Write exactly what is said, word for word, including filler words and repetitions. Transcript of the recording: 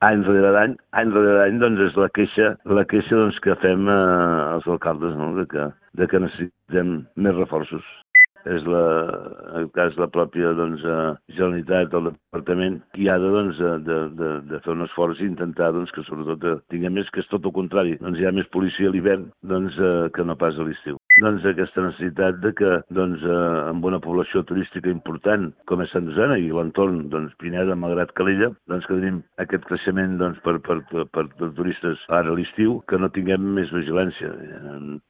any rere any, any rere any, doncs és la queixa, la queixa doncs, que fem eh, els alcaldes, no? de, que, de que necessitem més reforços. És la, en el cas la pròpia doncs, eh, Generalitat, el Departament, qui ha de, doncs, de, de, de fer un esforç i intentar doncs, que sobretot eh, tinguem més, que és tot el contrari. Doncs hi ha més policia a l'hivern doncs, eh, que no pas a l'estiu. Doncs aquesta necessitat de que doncs, eh, amb una població turística important com és Sant Josep i l'entorn, doncs, Pineda, malgrat Calella, doncs que tenim aquest creixement doncs, per, per, per, per turistes ara a l'estiu, que no tinguem més vigilància.